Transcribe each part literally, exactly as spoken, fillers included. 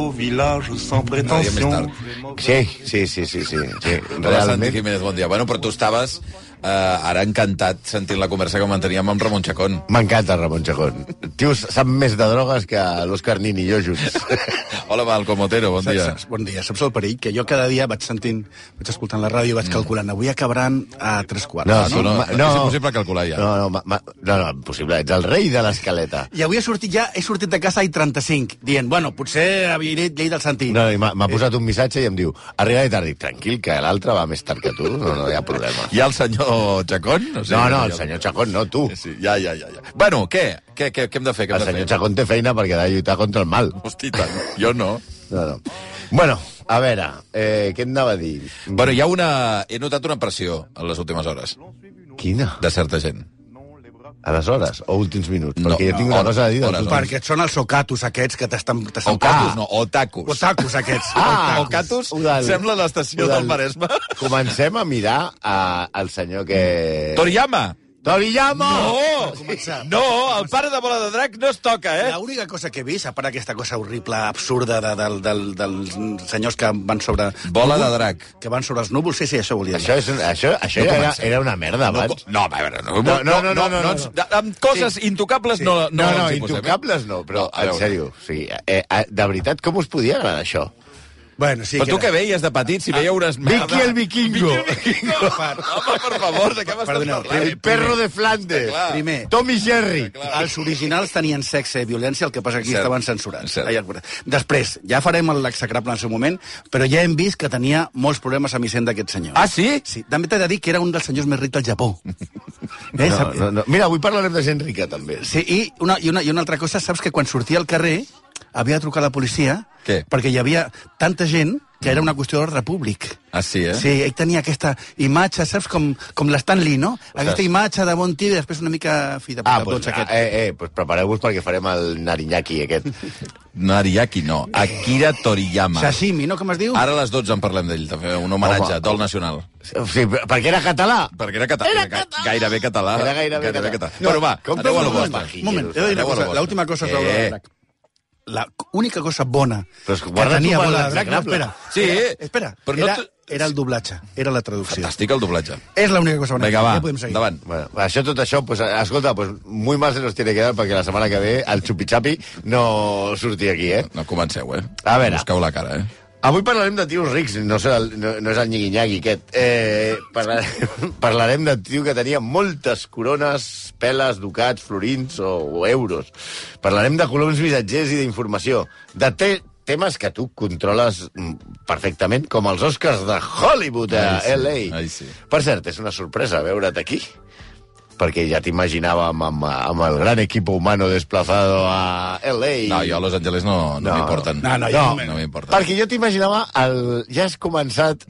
au village sans prétention. Sí, sí, sí, sí, sí, sí. Hola, Santi Jiménez, bon dia. Bueno, però tu estaves eh, ara encantat sentint la conversa que manteníem amb Ramon Chacón. M'encanta Ramon Chacón. Tio, sap més de drogues que l'Òscar Nin i jo junts. Hola, Malcom Otero, bon dia. Saps, bon dia. Saps el perill? Que jo cada dia vaig sentint, vaig escoltant la ràdio, vaig calculant, avui acabaran a tres quarts. No, No, no, ma- no, és impossible calcular ja. No, no, ma, ma, no, no, impossible. Ets el rei de l'escaleta. I avui he sortit ja, he sortit de casa i trenta-cinc, dient, bueno, potser havia dit llei del Santi. No, i m'ha m'ha posat un missatge i em diu, arribaré tard. Dic, tranquil, que l'altre va més tard que tu. No, no hi ha problema. Hi ha el senyor Chacón? No, no, el senyor Chacón no, tu. Sí, ja, ja, ja. ja. Bueno, què? Què, què, què hem de fer? Què hem El de senyor fer? Chacón té feina perquè ha de lluitar contra el mal. Hosti, tant. Jo no. No, no. Bueno, a veure, eh, què et anava a dir? Bueno, hi ha una... He notat una pressió en les últimes hores Quina? de certa gent. Aleshores, o últims minuts? No, Perquè jo tinc una hores, cosa a dir. hores, Dels... hores. Perquè són els ocatus aquests que t'estan... O catus, no, o tacus. Otakus aquests. Ah, O catus Udal. sembla l'estació Udal. del Maresme. Comencem a mirar a, al senyor que... Toriyama! Toriyama! No! No, el pare de Bola de Drac no es toca, eh? L'única cosa que he vist, a part aquesta cosa horrible, absurda, de, de, de, de, dels senyors que van sobre... Bola de drac. Que van sobre els núvols, sí, sí, això volia dir. Això, és, un- això, això No era, comencem. era una merda, No, abans. no, a veure, no, No, no, no, no, no, ens- no. Amb coses intocables no, no, No, no, ens hi posem, eh? intocables no, però, a en veure. sèrio, o sigui, eh, eh, de veritat, com us podia agradar això? Bueno, sí, Però tu que què veies de petit, si veieu unes merdes... Vicky el vikingo! Home, per favor, de què m'estàs Perdoneu, parlant? El perro de Flandes! Clar. Primer, Tommy Jerry! els originals tenien sexe i violència, el que passa que aquí Cert. estaven censurats. Cert. Ai, Després, ja farem l'execrable en el seu moment, però ja hem vist que tenia molts problemes amb Hisenda aquest senyor. Ah, sí? Sí, també t'he de dir que era un dels senyors més rics del Japó. Eh, No, sap- no, no. Mira, avui parlarem de gent rica, també. Sí, i una, i, una, i una altra cosa, saps que quan sortia al carrer havia de trucar a la policia Què? perquè hi havia tanta gent que era una qüestió d'ordre públic. Ah, sí, eh? Sí, ell tenia aquesta imatge, saps, com, com l'Stan Lee, no? Aquesta Ostres. imatge de bon tio i després una mica fi de Ah, puta, doncs, tots aquest. eh, eh, pues prepareu-vos perquè farem el Nariñaki aquest. Nariyaki, no. Akira Toriyama. Sashimi, no? Com es diu? Ara a les dotze en parlem d'ell, també, un homenatge, Home. dol nacional. Sí, perquè era català. Perquè era, català, Era ga- català. gairebé català. Era gairebé català. No, bueno, va, com aneu a la feu vostra. un Un moment, he de dir una Aneu a la cosa, vostra. l'última cosa Eh. sobre Bola de Drac. La única cosa bona Però és que que guarda tenia tu per Bola de Drac... No, l'execrable. espera. Sí, era, espera. però no era, te- era el doblatge, era la traducció. Fantàstic el doblatge. És l'única cosa bona. Vinga, va, Ja podem seguir. endavant. Bueno, això, tot això, pues, escolta, pues, muy mal se nos tiene que dar perquè la setmana que ve el xupi-xapi no surti aquí, eh? No comenceu, eh? A veure. Busqueu la cara, eh? Avui parlarem de tios rics, no, sé el, no, no és el nyigui-nyagui aquest. Eh, parlarem, parlarem de tio que tenia moltes corones, peles, ducats, florins o, o euros. Parlarem de coloms missatgers i d'informació. De te, temes que tu controles mm, perfectament, com els Oscars de Hollywood a Ai, sí, L A. ai, sí. Per cert, és una sorpresa veure't aquí, perquè ja t'imaginàvem amb, amb el gran equip humano desplazado a L A. No, jo a Los Angeles no, no, No. m'importen. No, no, jo- no, no m'importen. Perquè jo t'imaginava, el... ja has començat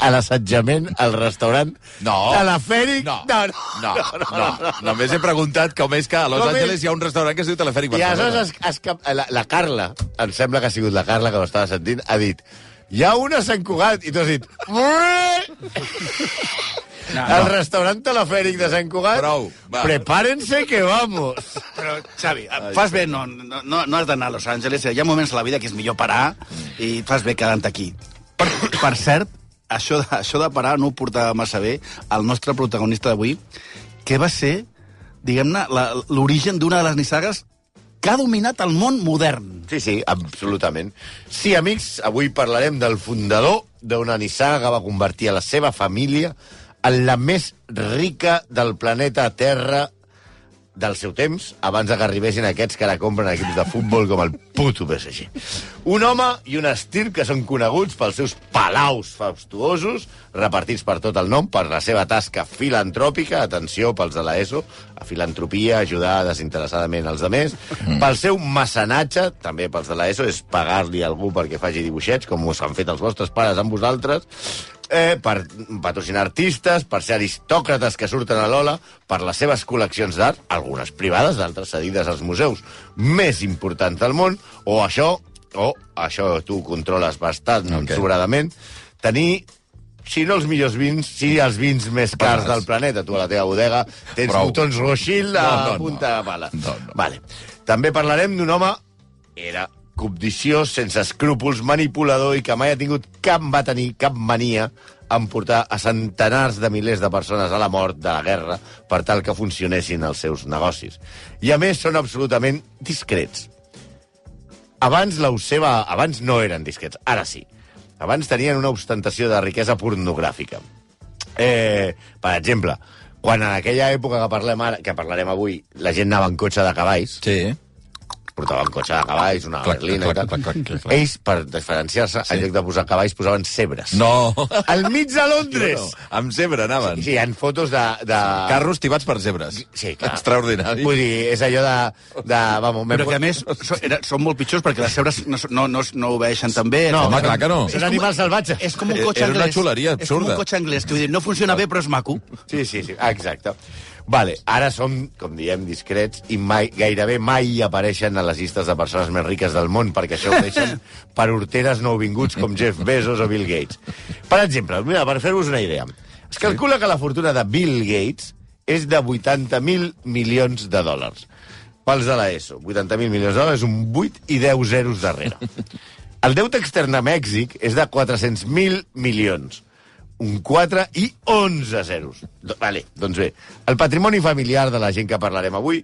a l'assetjament al restaurant No. Telefèric. No, no, no, no, no. Només he preguntat com és que a Los Com és- Angeles hi ha un restaurant que es diu Telefèric I Barcelona. aleshores es, es, cap- la, la Carla, em sembla que ha sigut la Carla que ho estava sentint, ha dit, hi ha una a Sant Cugat, i tu has dit... No, El no. restaurant telefèric de Sant Cugat, Prou, va. prepárense que vamos. Però, Xavi, fas bé, no, no, no no has d'anar a Los Angeles. Hi ha moments a la vida que és millor parar i fas bé quedant aquí. Per, per cert, això de, això de parar no ho portava massa bé el nostre protagonista d'avui, que va ser, diguem-ne, la- l'origen d'una de les nissagues que ha dominat el món modern. Sí, sí, absolutament. Sí, amics, avui parlarem del fundador d'una nissaga que va convertir a la seva família en la més rica del planeta Terra del seu temps, abans que arribessin aquests que ara compren equips de futbol com el puto P S G. Un home i un estil que són coneguts pels seus palaus fastuosos, repartits per tot el nom, per la seva tasca filantròpica, atenció pels de l'ESO, a filantropia, ajudar desinteressadament els demés, mm. pel seu mecenatge, també pels de l'ESO, és pagar-li a algú perquè faci dibuixets, com us han fet els vostres pares amb vosaltres, eh, per patrocinar artistes, per ser aristòcrates que surten a l'Ola, per les seves col·leccions d'art, algunes privades, d'altres cedides als museus més importants del món, o això, o això tu controles bastant Ok. sobradament, tenir, si no els millors vins, sí els vins més cars Barates. del planeta. Tu a la teva bodega tens Prou. botons Rothschild a No, no, no. punta de pala. No, no. Vale. També parlarem d'un home, era cobdiciós, sense escrúpols, manipulador i que mai ha tingut cap, va tenir cap mania en portar a centenars de milers de persones a la mort, de la guerra, per tal que funcionessin els seus negocis. I, a més, són absolutament discrets. Abans, la seva... Abans no eren discrets, ara sí. Abans tenien una ostentació de riquesa pornogràfica. Eh, per exemple, quan en aquella època que parlem ara, que parlarem avui, la gent anava en cotxe de cavalls... Sí. Portaven cotxe de cavalls, una clac, berlina clac, i tal. clac, clac, clac, clac. Ells, per diferenciar-se, sí. en lloc de posar cavalls, posaven cebres. No! Al mig de Londres! No, no. Amb zebra anaven. Sí, sí, hi ha fotos de... de... Carros tibats per zebres. Sí, clar. Extraordinari. Vull dir, és allò de... de vamos, Però que, a més, són, era, són molt pitjors perquè les cebres no, no, no, no obeixen tan bé. No, home, clar que no. Són animals salvatges. És com un cotxe Era anglès. una xuleria És com absurda. un cotxe anglès, que vull dir, no funciona bé, però és maco. Sí, sí, sí, exacte. Vale, ara som, com diem, discrets i mai, gairebé mai apareixen a les llistes de persones més riques del món, perquè això ho deixen per horteres nouvinguts com Jeff Bezos o Bill Gates. Per exemple, mira, per fer-vos una idea, es calcula que la fortuna de Bill Gates és de vuitanta mil milions de dòlars. Pels de l'ESO, vuitanta mil milions de dòlars, un vuit i deu zeros darrere. El deute extern a Mèxic és de quatre-cents mil milions. Un quatre i onze zeros. Vale, doncs bé, el patrimoni familiar de la gent que parlarem avui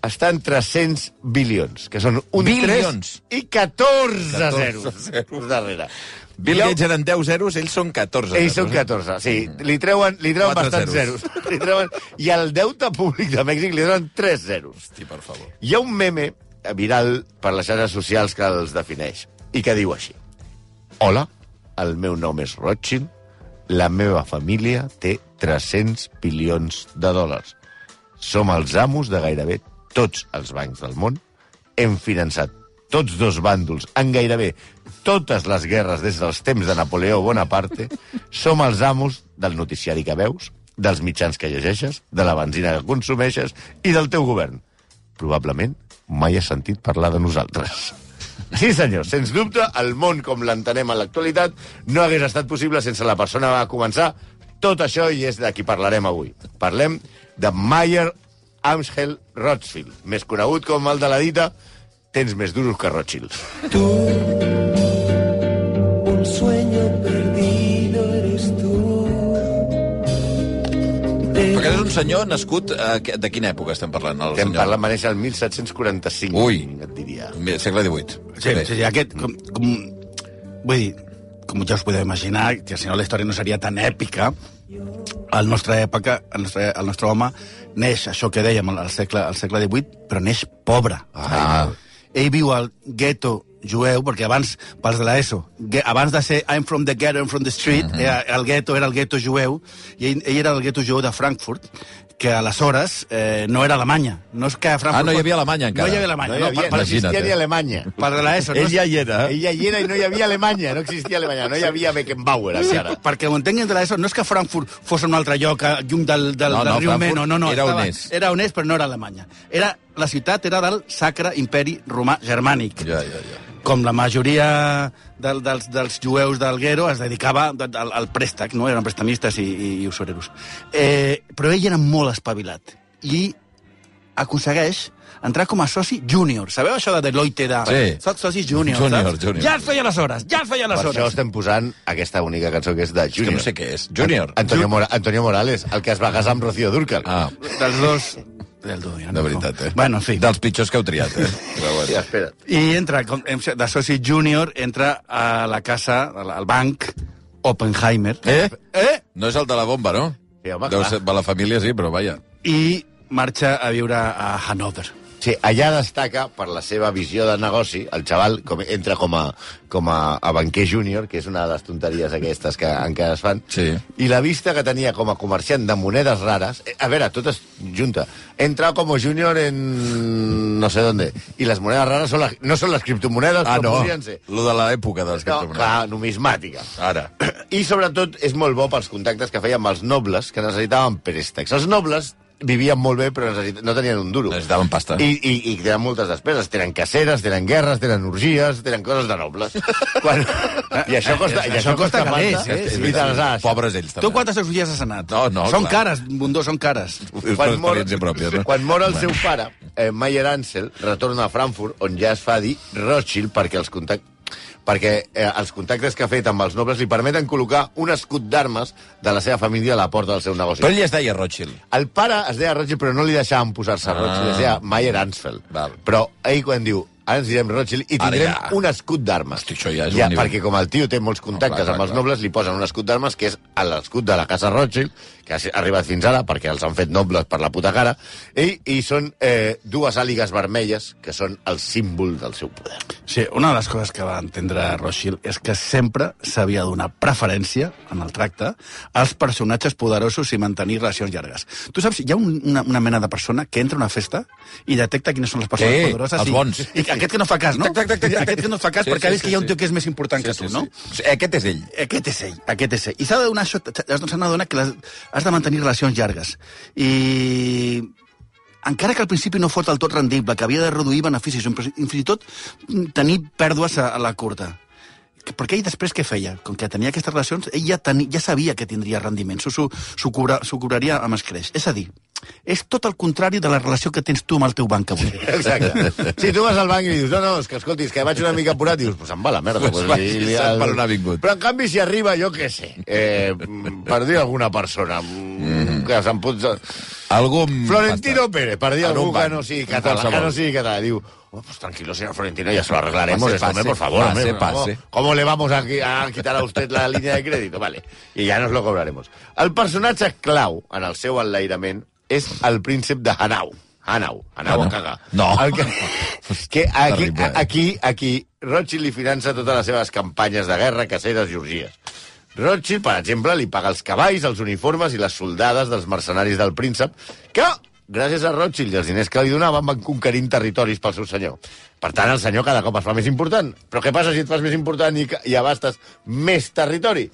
està en tres-cents bilions, que són un Bilions? tres i catorze catorze zeros darrere. Bill Jo- Gates eren deu zeros, ells són catorze. Ells són zeros, eh? catorze, sí. Li treuen, li treuen Quatre bastants zeros. zeros. Li treuen... I al deute públic de Mèxic li treuen tres zeros. Hosti, per favor. Hi ha un meme viral per les xarxes socials que els defineix i que diu així. Hola, el meu nom és Rothschild, la meva família té tres-cents bilions de dòlars. Som els amos de gairebé tots els bancs del món. Hem finançat tots dos bàndols en gairebé totes les guerres des dels temps de Napoleó Bonaparte. Som els amos del noticiari que veus, dels mitjans que llegeixes, de la benzina que consumeixes i del teu govern. Probablement mai has sentit parlar de nosaltres. Sí, senyor, sens dubte, el món com l'entenem en l'actualitat no hagués estat possible sense la persona que va començar tot això i és de qui parlarem avui. Parlem de Mayer Amschel Rothschild, més conegut com el de la dita tens més duros que Rothschild. Tú, un sueño perdido eres tú. Però aquest és un senyor nascut... A... De quina època estem parlant? El Estem senyor? parlant, va néixer el mil set-cents quaranta-cinc, Ui. et diria. Segle divuit. Sí, sí, sí, aquest... Com, com, vull dir, com ja us podeu imaginar, que si no la història no seria tan èpica, al nostra època, el nostre, el nostre home neix, això que dèiem, al segle, al segle divuit, però neix pobre. Ah. Ell viu al gueto jueu, perquè abans, pels de l'ESO, abans de ser I'm from the ghetto, I'm from the street, uh -huh. era, el gueto era el gueto jueu, i ell, ell era el gueto jueu de Frankfurt, que aleshores eh, no era Alemanya. No és que a Frankfurt... Ah, no hi havia Alemanya encara. No hi havia Alemanya. No hi havia, per, no per, existia imagina't, ni eh? Alemanya. per de l'ESO. Ell ja hi era. Ell ja hi era i no hi havia Alemanya, no existia Alemanya, no hi havia Beckenbauer encara. Perquè ho entenguin de l'ESO, no és que Frankfurt fos un altre lloc, eh, lluny del, del, No, del no, riu Frankfurt Meno. No, no, era estava, on és. Era on és, però no era Alemanya. Era, la ciutat era del Sacre Imperi Romà Germànic. Ja, ja, ja. Com la majoria del, dels, dels jueus del Guero es dedicava al, al préstec, no? Eren prestamistes i, i, i usureros. Eh, però ell era molt espavilat i aconsegueix entrar com a soci júnior. Sabeu això de Deloitte de... Sí. Soc soci júnior, Júnior, saps? júnior. Ja es feia les hores, ja es feia les Per hores. això estem posant aquesta única cançó que és de És que Junior. no sé què és. Júnior. Antonio, Mora Antonio Morales, el que es va casar amb Rocío Dúrcal. Ah, Dels dos... Del dos, ja no. de veritat, eh? Bueno, en fi. Dels pitjors que heu triat, eh? Però Ja, bueno. espera. I entra, com- de soci júnior, entra a la casa, al al banc Oppenheimer. Eh? Eh? No és el de la bomba, no? Sí, home, Deu clar. ser, va la família sí, però vaja. I marxa a viure a Hannover. Sí, allà destaca per la seva visió de negoci. El xaval com, entra com a, com a, a banquer júnior, que és una de les tonteries aquestes que encara es fan. Sí. I la vista que tenia com a comerciant de monedes rares... eh, A veure, tot es junta. Entra com a júnior en no sé dónde. I les monedes rares són la, no són les criptomonedes, Ah, però no. podrien ser. Lo de l'època de les No, criptomonedes. clar, numismàtica. Ara. I, sobretot, és molt bo pels contactes que feia amb els nobles que necessitaven préstecs. Els nobles vivien molt bé, però necessit... no tenien un duro. Necessitaven pasta. I, i, I tenen moltes despeses. Tenen caceres, tenen guerres, tenen orgies, tenen coses de nobles. Quan... I això costa, i això costa calés, pasta. eh? I te les has. Pobres ells, també. Tu quantes orgies has anat? No, no, Són clar. cares, Bundó, són cares. És per Quan mor, experiència pròpia, no? quan mor el seu pare, eh, Mayer Ansel retorna a Frankfurt, on ja es fa dir Rothschild, perquè els contactes perquè eh, els contactes que ha fet amb els nobles li permeten col·locar un escut d'armes de la seva família a la porta del seu negoci. Però ell es deia Rothschild. El pare es deia Rothschild, però no li deixaven posar-se Ah. Rothschild, es deia Mayer Ansfeld. Val. Però ell quan diu, ara ens direm Rothschild i Ara tindrem ja. un escut d'armes. Hosti, això ja és un ja, nivell. perquè com el tio té molts contactes No, clar, clar, amb els clar. nobles, li posen un escut d'armes que és l'escut de la casa Rothschild, que ha arribat fins ara perquè els han fet nobles per la puta cara, i, i són eh, dues àligues vermelles que són el símbol del seu poder. Sí, una de les coses que va entendre Rothschild és que sempre s'havia de donar preferència en el tracte als personatges poderosos i mantenir relacions llargues. Tu saps, hi ha un, una, una mena de persona que entra a una festa i detecta quines són les persones Sí, poderoses els i, bons. i aquest que no fa cas, no? Tac, tac, tac, tac, tac. Aquest que no fa cas Sí, perquè sí, ha vist sí, que hi ha un sí. tio que és més important que tu, no? Sí. Aquest és ell. Aquest és ell, aquest és ell. I s'ha de donar això, has d'adonar que les, has de mantenir relacions llargues. I encara que al principi no fos del tot rendible, que havia de reduir beneficis, i fins i tot tenir pèrdues a, a la curta. Perquè ell després què feia? Com que tenia aquestes relacions, ell ja, tenia, ja sabia que tindria rendiments, s'ho cobra, cobraria amb escreix. És a dir, és tot el contrari de la relació que tens tu amb el teu banc avui. Exacte. Si tu vas al banc i dius, no, no, és que escolti, és que vaig una mica apurat, dius, pues em va la merda. Pues Pues, vagi, li- li- sap el- per on ha vingut. Però en canvi, si arriba, jo què sé, eh, per dir alguna persona, mm. que se'n pot... Algú amb Florentino pasta. Pérez, per dir En un algú que banc, no sigui un català, que qualsevol. no sigui català, diu, oh, pues tranquilo, señor Florentino, ya se lo arreglaremos, Pase, esto, hombre, pase, por favor, pase, hombre, pase. ¿cómo, ¿cómo le vamos a, a quitar a usted la línea de crédito? Vale, y ya nos lo cobraremos. El personatge clau en el seu enlairament és el príncep de Hanau. Hanau, Hanau a cagar. No. El que, que aquí, Terrible. aquí, aquí, Rothschild li finança totes les seves campanyes de guerra, caceres i orgies. Rothschild, per exemple, li paga els cavalls, els uniformes i les soldades dels mercenaris del príncep, que, gràcies a Rothschild i els diners que li donaven, van conquerint territoris pel seu senyor. Per tant, el senyor cada cop es fa més important. Però què passa si et fas més important i, i abastes més territori?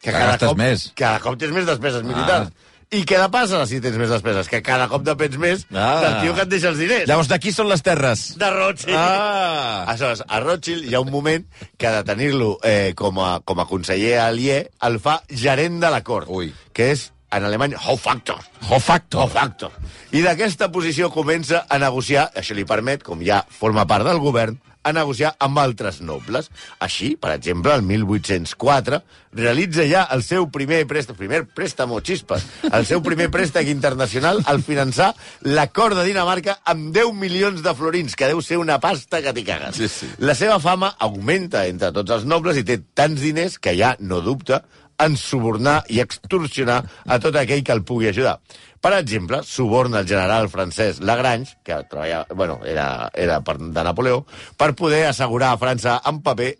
Que gastes cop, més. Cada cop tens més despeses militars. I què de passa si tens més despeses? Que cada cop depens més Ah. del tio que et deixa els diners. Llavors, d'aquí són les terres. De Rothschild. Ah. Aleshores, a Rothschild hi ha un moment que de tenir-lo eh, com, a, com a conseller aliè el fa gerent de la cort, Ui. que és en alemany Hofaktor. Hofactor. Hofaktor. I d'aquesta posició comença a negociar, això li permet, com ja forma part del govern, a negociar amb altres nobles. Així, per exemple, el mil vuit-cents quatre realitza ja el seu primer préstec, primer préstamo, xispes, el seu primer préstec internacional al finançar l'acord de Dinamarca amb deu milions de florins, que deu ser una pasta que t'hi cagues. Sí, sí. La seva fama augmenta entre tots els nobles i té tants diners que ja no dubta en subornar i extorsionar a tot aquell que el pugui ajudar. Per exemple, suborna el general francès Lagrange, que treballava, bueno, era, era per, de Napoleó, per poder assegurar a França en paper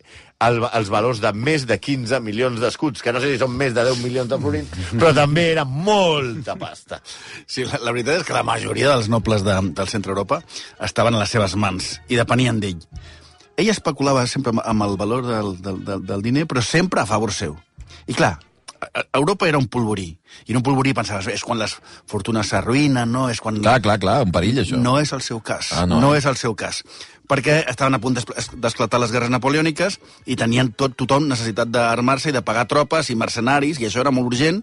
el, els valors de més de quinze milions d'escuts, que no sé si són més de deu milions de florins, però també era molta pasta. Sí, la, la veritat és que la majoria dels nobles de, del centre Europa estaven a les seves mans i depenien d'ell. Ell especulava sempre amb, amb el valor del, del, del, del diner, però sempre a favor seu. I clar, Europa era un polvorí. I en un polvorí pensaves, és quan les fortunes s'arruïnen, no? És quan... Clar, clar, clar, un perill, això. No és el seu cas. Ah, no. no és el seu cas. Perquè estaven a punt d'esclatar les guerres napoleòniques i tenien tot, tothom necessitat d'armar-se i de pagar tropes i mercenaris, i això era molt urgent.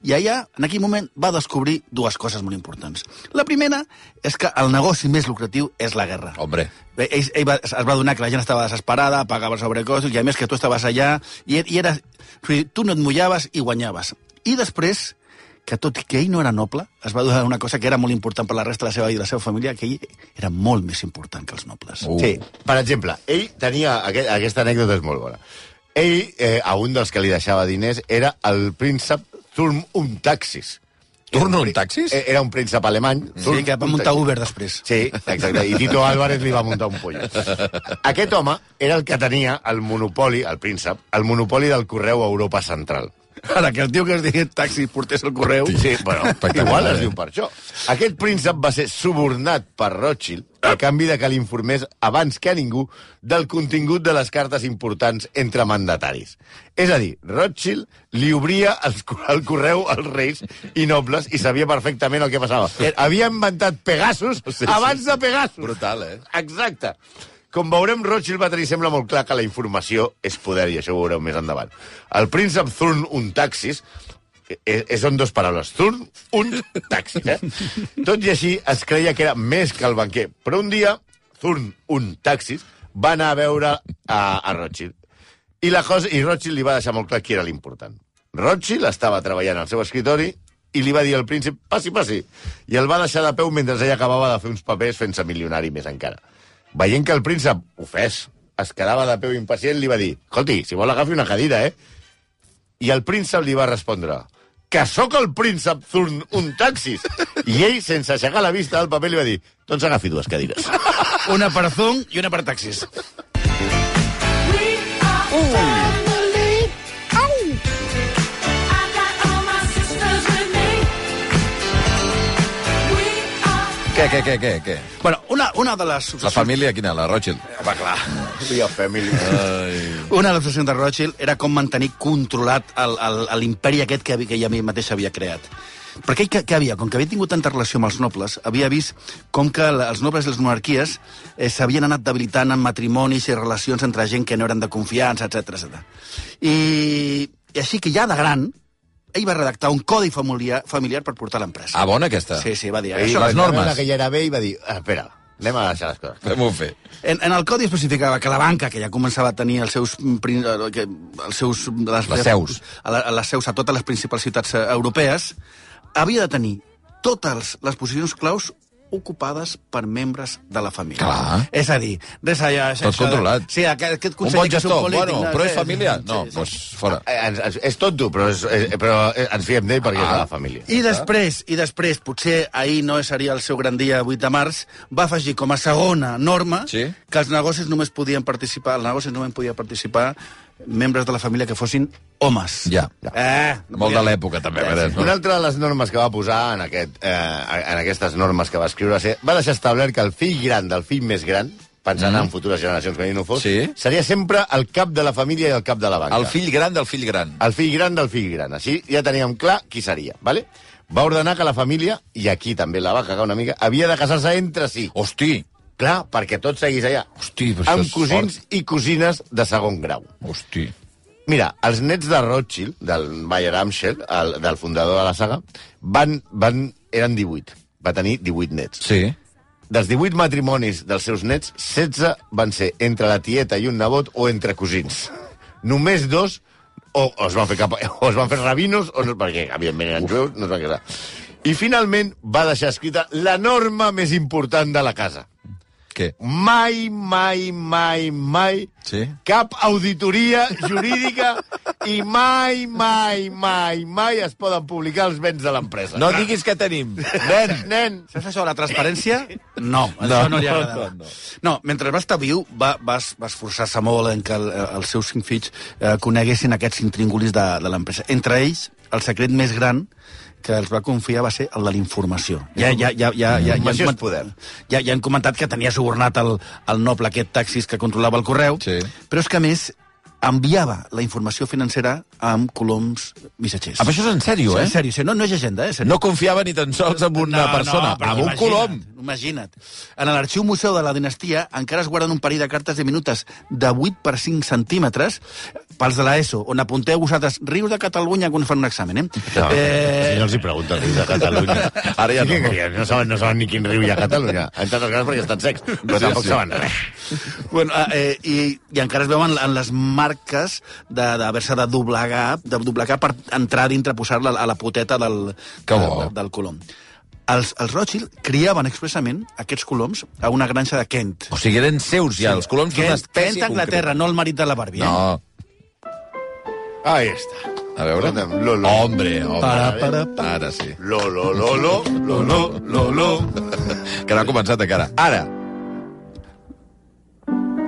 I allà, en aquell moment, va descobrir dues coses molt importants. La primera és que el negoci més lucratiu és la guerra. Hombre. Bé, ell, ell va, es va donar que la gent estava desesperada, pagava sobrecostos, i a més que tu estaves allà, i, i era, tu no et mullaves i guanyaves. I després, que tot i que ell no era noble, es va donar una cosa que era molt important per la resta de la seva vida i de la seva família, que ell era molt més important que els nobles. Uh. Sí, per exemple, ell tenia... Aquest, aquesta anècdota és molt bona. Ell, eh, a un dels que li deixava diners, era el príncep Thurm und Taxis. Thurm und Taxis? Eh, Era un príncep alemany. Sí, que va muntar Uber després. Sí, exacte. I Tito Álvarez li va muntar un pollo. Aquest home era el que tenia el monopoli, el príncep, el monopoli del correu a Europa Central. Ara, que el tio que es digui taxi portés el correu... Sí, bueno, Espectacular, igual es eh? diu per això. Aquest príncep va ser subornat per Rothschild a canvi de que l'informés abans que a ningú del contingut de les cartes importants entre mandataris. És a dir, Rothschild li obria els, el correu als reis i nobles i sabia perfectament el que passava. Havia inventat Pegasus Sí, sí. abans de Pegasus. Brutal, eh? Exacte. Com veurem, Rothschild va tenir sembla molt clar que la informació és poder, i això ho veureu més endavant. El príncep Thurn und Taxis Eh, són dues paraules. Thurn, un, taxi. Eh? Tot i així, es creia que era més que el banquer. Però un dia, Thurn, un, taxis, va anar a veure a, a Rothschild. I, la cosa, I Rothschild li va deixar molt clar qui era l'important. Rothschild estava treballant al seu escritori i li va dir al príncep, passi, passi. I el va deixar de peu mentre ell acabava de fer uns papers fent-se milionari més encara. Veient que el príncep, ofès, es quedava de peu impacient, li va dir, escolti, si vol agafi una cadira, eh? I el príncep li va respondre, que sóc el príncep Thurn, un taxis. I ell, sense aixecar la vista del paper, li va dir, doncs agafi dues cadires. Una per Thurn i una per taxis. Què, què, què, què, què? Bueno, una, una de les... La família, quina? La Rothschild? Va, clar. Via family. Ai. Una de les obsessions de Rothschild era com mantenir controlat l'imperi aquest que, que ella mateixa havia creat. Perquè què, què havia? Com que havia tingut tanta relació amb els nobles, havia vist com que els nobles i les monarquies eh, s'havien anat debilitant en matrimonis i relacions entre gent que no eren de confiança, etcètera, etcètera. I, I així que ja de gran, ell va redactar un codi familiar, familiar per portar a l'empresa. Ah, bona aquesta? Sí, sí, va dir... Ell Això, va les normes. veure que ja era bé i va dir, ah, espera, anem a deixar les coses. Fem-ho fer. En, en el codi especificava que la banca, que ja començava a tenir els seus... Que, els seus les, Les seus. A, la, a les seus a totes les principals ciutats europees, havia de tenir totes les posicions claus ocupades per membres de la família. Clar. És a dir, res allà... Tot controlat. Sí, aquest, aquest Un conseller bon que és un gestor, polític... bueno, però és família? No, sí, sí. doncs fora. Eh, ens, ens, és tonto, però, és, eh, però eh, ens fiem d'ell perquè ah. és de la família. I després, i després, potser ahir no seria el seu gran dia, vuit de març, va afegir com a segona norma Sí. que els negocis només podien participar, els negocis només podien participar membres de la família que fossin homes. Ja. Eh, no Molt podia- de l'època, també. Eh, Eh, sí. Una altra de les normes que va posar en, aquest, eh, en aquestes normes que va escriure ser, va deixar establert que el fill gran del fill més gran, pensant mm. en futures generacions, que no fos, Sí. seria sempre el cap de la família i el cap de la banca. El fill gran del fill gran. El fill gran del fill gran. Així ja teníem clar qui seria, ¿vale? Va ordenar que la família, i aquí també la va cagar una mica, havia de casar-se entre si. Hosti, Clar, perquè tot seguís allà. hosti, però això Amb és cosins fort. i cosines de segon grau. Hosti. Mira, els nets de Rothschild, del Mayer Amschel, el, del fundador de la saga, van, van, eren divuit. Va tenir divuit nets. Sí. Dels divuit matrimonis dels seus nets, setze van ser entre la tieta i un nebot o entre cosins. Només dos o, o, es, van fer cap, o es van fer rabinos, o no, perquè, evidentment, eren jueus, no es van casar. I, finalment, va deixar escrita la norma més important de la casa. Què? Mai, mai, mai, mai Sí? cap auditoria jurídica i mai, mai, mai, mai es poden publicar els béns de l'empresa. No diguis que tenim. Nen, nen. Saps això de la transparència? No, això no, no li agradava. No, no, no. no, mentre va estar viu, va, va, va esforçar-se molt en que el, els seus cinc fills eh, coneguessin aquests intríngulis de, de l'empresa. Entre ells, el secret més gran que els va confiar va ser el de la informació. Ja, ja, ja, ja, ja, ja, Informació ja, és poder. Ja, ja han comentat que tenia subornat el, el noble aquest taxis que controlava el correu, Sí. però és que, a més, enviava la informació financera amb coloms missatgers. Ah, però això és en sèrio, Sí, eh? en sèrio, sí, no, no és llegenda, eh? En sèrio. No confiava ni tan sols en una persona, però amb un imagina't, colom. Imagina't. En l'arxiu museu de la dinastia encara es guarden un parell de cartes de minutes de vuit per cinc centímetres pels de l'ESO, on apunteu vosaltres rius de Catalunya quan fan un examen, eh? No, eh... si no els hi pregunten rius de Catalunya. Ara ja Sí, no. que no saben, no saben ni quin riu hi ha a Catalunya. En tantes cases perquè estan secs, però Sí, tampoc sí. saben res. Bueno, eh, i, i encara es veuen en les marques d'haver-se de, de doblegar, de doblegar per entrar dintre, posar-la a la poteta del, Que del, bo. del colom. Els, els Rothschild criaven expressament aquests coloms a una granja de Kent. O sigui, eren seus ja, els coloms d'una Kent, espècie Kent, Anglaterra, no el marit de la Barbie. Eh? No. Ahí està. A veure. Escolta'm, lo, lo. Hombre, home. Para, para, para. Ara sí. Lo, lo, lo, lo, lo, lo, lo, lo. Que no ha començat encara. Ara.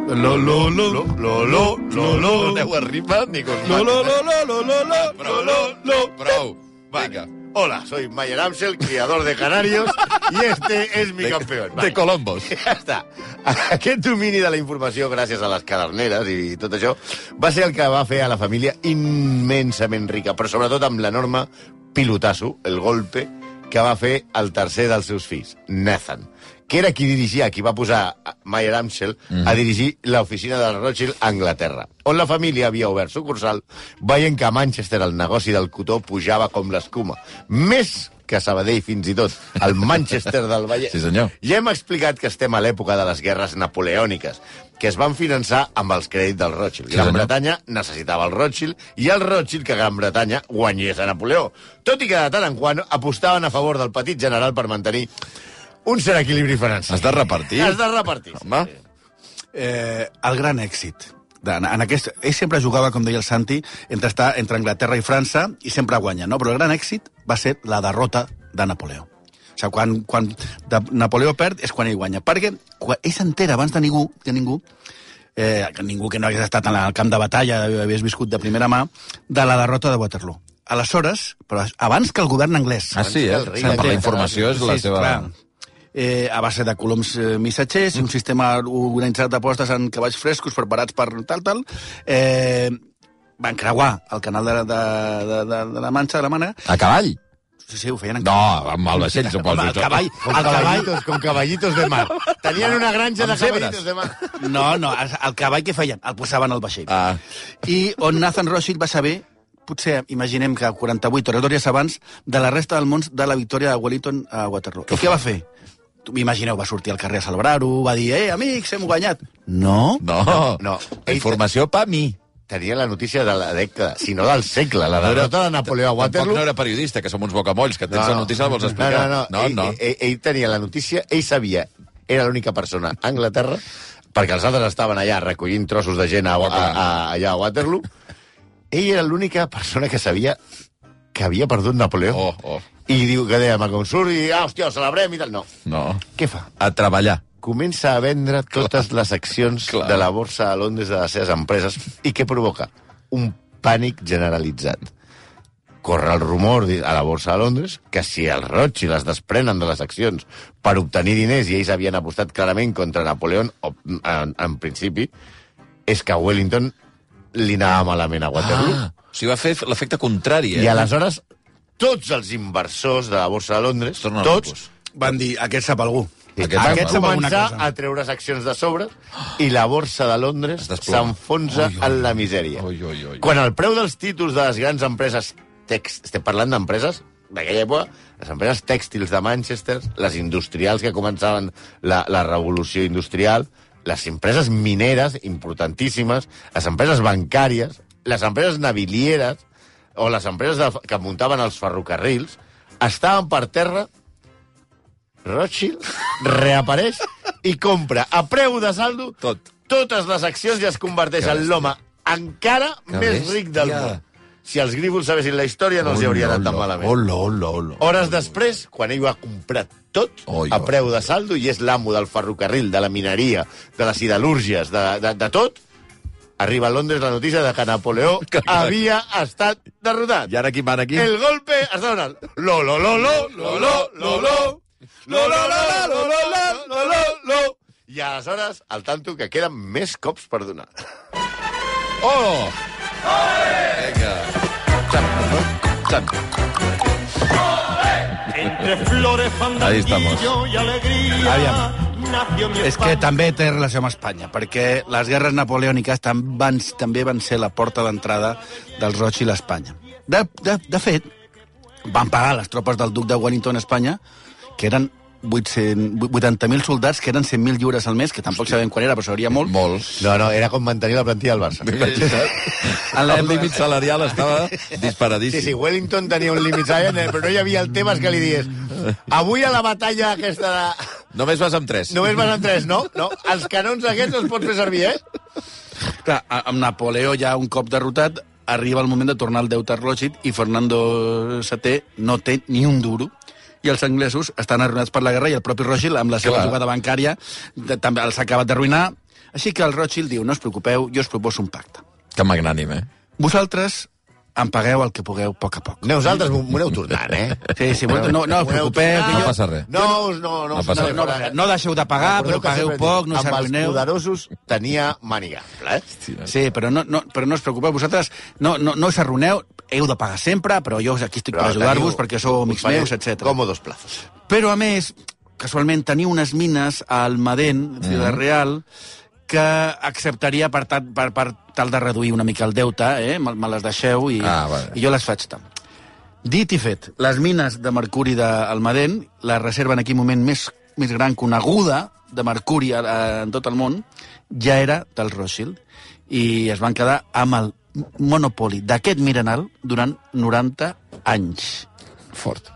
Lo, lo, lo. Lo, lo, lo, lo, lo. No aneu a rima ni con Lo, lo, lo, lo, lo, lo, lo. Prou, lo, lo, prou. Vinga. Hola, soy Mayer Amschel, criador de canarios, y este es mi De, campeón. de Colombos. Ja està. Aquest domini de la informació, gràcies a les caderneres i tot això, va ser el que va fer a la família immensament rica, però sobretot amb l'enorme pilotasso, el golpe, que va fer el tercer dels seus fills, Nathan, que era qui dirigia, qui va posar Mayer Amschel mm. a dirigir l'oficina del Rothschild a Anglaterra, on la família havia obert sucursal, veient que a Manchester el negoci del cotó pujava com l'escuma. Més que a Sabadell, fins i tot, el Manchester del Vallès. Sí, senyor. Ja hem explicat que estem a l'època de les guerres napoleòniques, que es van finançar amb els crèdits del Rothschild. Sí, Gran senyor. Bretanya necessitava el Rothschild i el Rothschild que Gran Bretanya guanyés a Napoleó. Tot i que de tant en quant apostaven a favor del petit general per mantenir un cert equilibri financer. Has de repartir. Has de repartir. Home. Eh, el gran èxit. De, en aquest, ell sempre jugava, com deia el Santi, entre, estar entre Anglaterra i França i sempre guanya, no? Però el gran èxit va ser la derrota de Napoleó. O sigui, quan, quan de Napoleó perd és quan ell guanya. Perquè quan ell s'entera abans de ningú, que ningú, eh, que ningú que no hagués estat en el camp de batalla, hagués viscut de primera mà, de la derrota de Waterloo. Aleshores, però abans que el govern anglès... Ah, sí, eh? Abans que el rei Per la d'aquest- informació és la Sí, seva... clar. Eh, a base de coloms eh, missatgers, un sistema organitzat d'apostes en cavalls frescos preparats per tal, tal, eh, van creuar el canal de, de, de, de, de la Manxa, de la Mànega. A cavall? Sí, sí, ho feien en No, amb el vaixell, suposo. Home, el cavall, Com el cavall... caballitos, com caballitos de mar. Tenien una granja Amb de zebres. caballitos de mar. No, no, el, el cavall que feien? El posaven al vaixell. Ah. I on Nathan Rothschild va saber, potser, imaginem que quaranta-vuit hores abans, de la resta del món de la victòria de Wellington a Waterloo. I què va fer? Imagineu, va sortir al carrer a celebrar-ho, va dir, eh, amics, hem guanyat. No. No, No. no. Informació pa mi. Tenia la notícia de la dècada, si no del segle, la derrota de Napoleó a Tampoc Waterloo. no era periodista, que som uns bocamolls, que tens la notícia la vols explicar. No, no, no. no, ell, no. Ell, ell tenia la notícia, ell sabia, era l'única persona a Anglaterra, perquè els altres estaven allà recollint trossos de gent a, a, a, allà a Waterloo. Ell era l'única persona que sabia que havia perdut Napoleó. Oh, oh. I diu que deia, com surt i, ah, hòstia, ho celebrem i tal. No. No. Què fa? A treballar. Comença a vendre totes les accions Clar. de la borsa a Londres de les seves empreses. I què provoca? Un pànic generalitzat. Corre el rumor a la borsa de Londres que si els Rothschild es desprenen de les accions per obtenir diners i ells havien apostat clarament contra Napoleó, en, en principi, és que a Wellington li anava malament a Waterloo. Ah, o sigui, va fer l'efecte contrari, eh? I aleshores, tots els inversors de la borsa de Londres, Tornen tots, locos. Van dir, aquest sap algú. Aquest van sap alguna començar cosa. a treure accions de sobre i la borsa de Londres Es desploma. s'enfonsa Ui, ui, en la misèria. ui, ui, ui. Quan el preu dels títols de les grans empreses text, estem parlant d'empreses d'aquella època, les empreses tèxtils de Manchester, les industrials que començaven la, la revolució industrial, les empreses mineres importantíssimes, les empreses bancàries, les empreses navilieres o les empreses de, que muntaven els ferrocarrils, estaven per terra. Rothschild reapareix i compra a preu de saldo Tot. totes les accions i es converteix Que en l'home encara Que més bèstia. ric del món. Si els grívols sabessin la història, no els hi hauria anat tan malament. Hola, hola, hola. Hores després, quan ell ho ha comprat tot Oi, a oi. preu de saldo i és l'amo del ferrocarril, de la mineria, de les siderúrgies, de, de, de tot, arriba a Londres la notícia de que Napoleó havia estat derrotat. I ara qui mana aquí? El golpe està donant. Lo, lo, lo, lo, lo, lo, lo, lo. Lo, lo, lo, lo, lo, lo, lo, lo, lo. I aleshores, al tanto, que queden més cops per donar. Oh! Vinga. Xap, xap. Entre flores, Ahí estamos. fandanguillo y alegría. Aviam. Nació mi És que España. també té relació amb Espanya, perquè les guerres napoleòniques tam- van, també van ser la porta d'entrada dels Rothschild a Espanya. De, de, de fet, van pagar les tropes del duc de Wellington a Espanya, que eren vuitanta mil soldats, que eren cent mil lliures al mes, que tampoc sabem quan era, però seria molt. Molt. No, no, era com mantenir la plantilla del Barça. En El límit salarial estava Sí, disparadíssim. sí, Wellington tenia un límit salarial, però no hi havia el Tebas que li digués avui a la batalla aquesta de... Només vas amb tres. Només van en tres, no? No, els canons aquests els pots fer servir, eh? Clar, a- amb Napoleó ja un cop derrotat, arriba el moment de tornar al deute a Rothschild i Fernando setè no té ni un duro i els anglesos estan arruïnats per la guerra i el propi Rothschild, amb la seva Clar. jugada bancària, de, també els ha acabat d'arruïnar. Així que el Rothschild diu, no us preocupeu, jo us proposo un pacte. Que magnànim, eh? Vosaltres em pagueu el que pugueu a poc a poc. Nosaltres m'ho m'ho aneu tornant, eh? Sí, sí, no, no, no us preocupeu. que No jo- passa res. No, us- no, no, No us passa aneu res. no, fora. no deixeu de pagar, Recordeu però que pagueu sempre poc, dic, no us amb els arruïneu. poderosos tenia màniga, eh? Sí, però no, no, però no us preocupeu, vosaltres no, no, no us arruïneu, heu de pagar sempre, però jo aquí estic per ajudar-vos perquè sou amics meus, etcètera. Còmodos plazos. Però, a més, casualment, tenia unes mines a Almadén, Ciudad Real, que acceptaria per tal, per, per tal de reduir una mica el deute, eh? me, me les deixeu i, Ah, vale. i jo les faig tant. Dit i fet, les mines de mercuri d'Almadén, la reserva en aquell moment més, més gran coneguda de mercuri a, a, en tot el món, ja era del Rothschild, i es van quedar amb el monopoli d'aquest mineral durant noranta anys. Fort.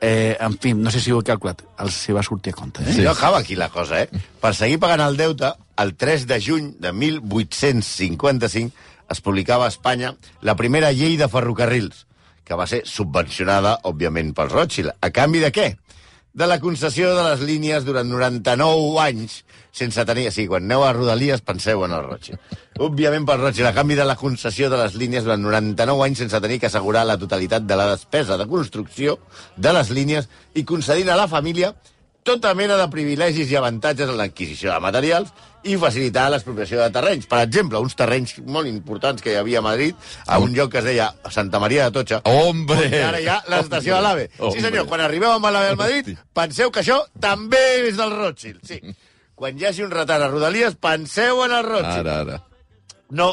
Eh, en fi, no sé si ho he calculat, els si va sortir a compte. Eh? Sí. No acaba aquí la cosa, eh? Per seguir pagant el deute, el tres de juny de mil vuit-cents cinquanta-cinc es publicava a Espanya la primera llei de ferrocarrils, que va ser subvencionada, òbviament, pels Rothschild. A canvi de què? De la concessió de les línies durant noranta-nou anys sense tenir... Sí, quan aneu a Rodalies penseu en el Rothschild. Òbviament pel Rothschild, a canvi de la concessió de les línies durant noranta-nou anys sense tenir que assegurar la totalitat de la despesa de construcció de les línies i concedint a la família tota mena de privilegis i avantatges en l'adquisició de materials i facilitar l'expropiació de terrenys. Per exemple, uns terrenys molt importants que hi havia a Madrid, a un lloc que es deia Santa Maria de Tocha. Hombre! I ara hi ha l'estació de l'AVE. Sí, senyor, quan arribeu amb l'AVE al Madrid, penseu que això també és del Rothschild. Sí. Quan hi hagi un retard a Rodalies, penseu en el Rothschild. Ara, ara. No,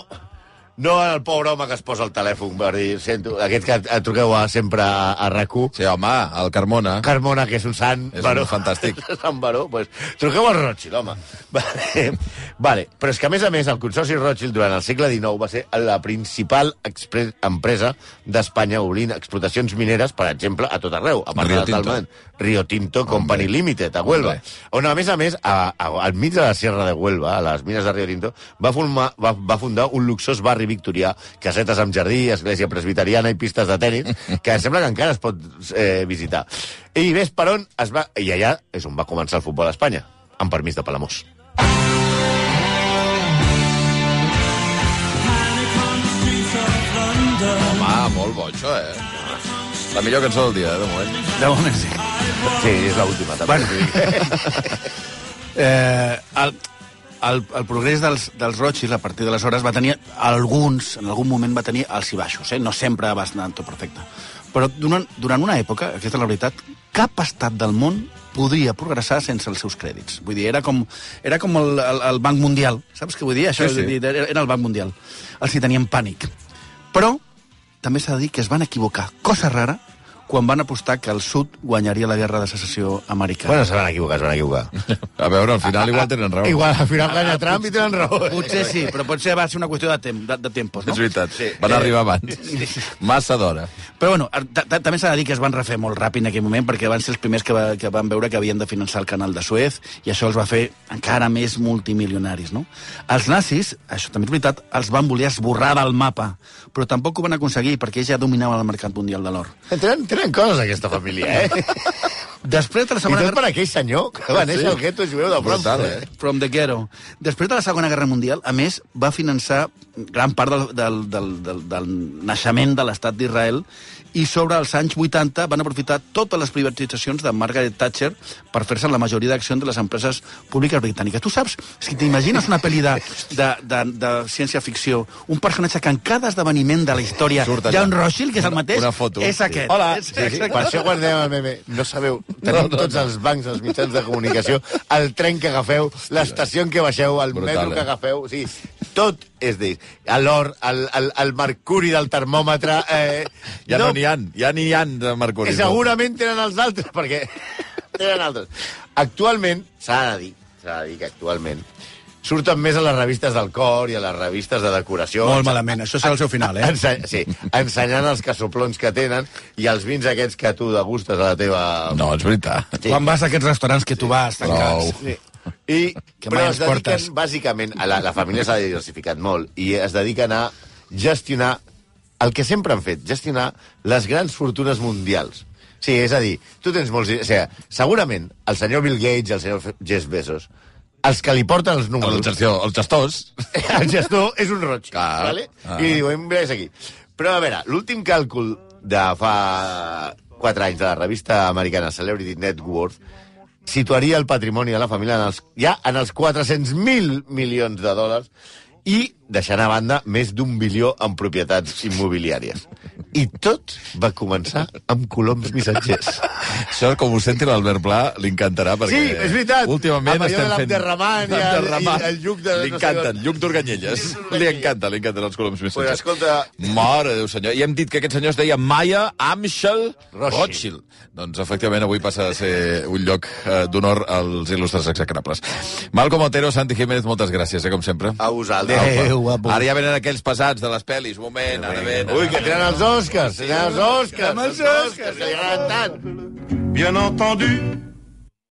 no el pobre home que es posa el telèfon per dir, sento, aquest que et truqueu a, sempre a, a R A C u. Sí, home, el Carmona. Carmona, que és un sant És baró. un fantàstic. Sant baró, pues, truqueu al Rothschild, home. Vale. Vale, però és que, a més a més, el Consorci Rothschild durant el segle dinou va ser la principal empresa d'Espanya obrint explotacions mineres, per exemple, a tot arreu, a part Rio de Tinto. Talment. Rio Tinto Company Hombre. Limited, a Huelva. Hombre. On, a més a més, a, a, al mig de la Sierra de Huelva, a les mines de Rio Tinto, va, formar, va, va fundar un luxós barri victorià, casetes amb jardí, església presbiteriana i pistes de tenis, que sembla que encara es pot eh, visitar. I ves per on es va... I allà és on va començar el futbol a Espanya, amb permís de Palamós. Home, molt bo, això, eh? La millor cançó del dia, eh, de moment. De moment sí. Sí, és l'última, també. Bueno. eh, el, el, el progrés dels, dels Rothschild, a partir d'aleshores, va tenir alguns, en algun moment va tenir alts i baixos, eh? No sempre va anar tot perfecte. Però durant, durant una època, aquesta és la veritat, cap estat del món podria progressar sense els seus crèdits. Vull dir, era com, era com el, el, el Banc Mundial. Saps què vull dir? Això Sí, sí. Era, era el Banc Mundial. Els hi tenien pànic. Però també s'ha de dir que es van equivocar, cosa rara, quan van apostar que el sud guanyaria la guerra de secessió americana. Bueno, se van equivocar, se van equivocar. A veure, al final igual tenen raó. Igual, al final guanya Trump i tenen raó. Potser sí, però potser va ser una qüestió de, tem de, de tempos, no? És veritat, Sí. van arribar abans. Massa d'hora. Però bueno, ta- ta- també s'ha de dir que es van refer molt ràpid en aquell moment perquè van ser els primers que, va, que van veure que havien de finançar el canal de Suez i això els va fer encara més multimilionaris, no? Els nazis, això també és veritat, els van voler esborrar del mapa, però tampoc ho van aconseguir perquè ells ja dominaven el mercat mundial de l'or. Tenen, tenen coses, aquesta família, eh? Després de la I Segona tot Guerra... per aquell senyor que va néixer al gueto jueu de Brutal, Frankfurt. eh? From the ghetto. Després de la Segona Guerra Mundial, a més, va finançar gran part del, del, del, del, del naixement de l'estat d'Israel i sobre els anys vuitanta van aprofitar totes les privatitzacions de Margaret Thatcher per fer-se la majoria d'accions de les empreses públiques britàniques. Tu saps, si t'imagines una pel·li de, de, de, de ciència-ficció, un personatge que en cada esdeveniment de la història Surt hi ha allà. un Rothschild, que és el mateix, Una foto. és Sí. aquest. Hola. És, Sí, sí. Per això quan dèiem al meme, no sabeu, tenim no, tots no. els bancs, els mitjans de comunicació, el tren que agafeu, l'estació en què baixeu, el Brutal, metro que eh? agafeu, o sigui, tot és d'ells. L'or, el, el, el mercuri del termòmetre... Eh, Ja no n'hi ha, ja n'hi ha de mercuri. I segurament tenen els altres, perquè tenen altres. Actualment, s'ha de dir, s'ha de dir que actualment surten més a les revistes del cor i a les revistes de decoració. Molt malament, això serà el seu final, eh? Ense sí, ensenyant els casoplons que tenen i els vins aquests que tu degustes a la teva... No, és veritat. Sí. Quan vas a aquests restaurants que tu vas, tancats. Prou. Sí. I, Que però mai es ens portes. dediquen, bàsicament, a la, la família s'ha diversificat molt i es dediquen a gestionar el que sempre han fet, gestionar les grans fortunes mundials. Sí, és a dir, tu tens molts... O sigui, segurament el senyor Bill Gates i el senyor Jeff Bezos, els que li porten els El, números... gestor, els gestors. El gestor és un roig, Clar. vale? Ah. I li diuen, ves aquí. Però, a veure, l'últim càlcul de fa quatre anys de la revista americana Celebrity Net Worth situaria el patrimoni de la família en els, ja en els quatre-cents mil milions de dòlars i deixant a banda més d'un bilió en propietats immobiliàries. I tot va començar amb coloms missatgers. Això, com ho senti l'Albert Pla, li encantarà, perquè... Sí, és veritat. Últimament Amb allò estem de fent... l'enderramant i el- l'enderramant. i el lluc de- Li encanten, lluc d'Organyelles. Li encanta, li encanten els coloms missatgers. Pues escolta... Mare de Déu, senyor. I hem dit que aquest senyor es deia Maya Amschel Rothschild. Rothschild. Doncs, efectivament, avui passa a ser un lloc eh, d'honor als il·lustres execrables. Malcom Otero, Santi Jiménez, moltes gràcies, eh, com sempre. A vosaltres. Adéu, guapo. Ara ja venen aquells pesats de les pel·lis. Un moment, ara venen. Ui, que tenen els Oscars, tenen els Oscars, els Oscars, que li agraden tant. Bien entendu,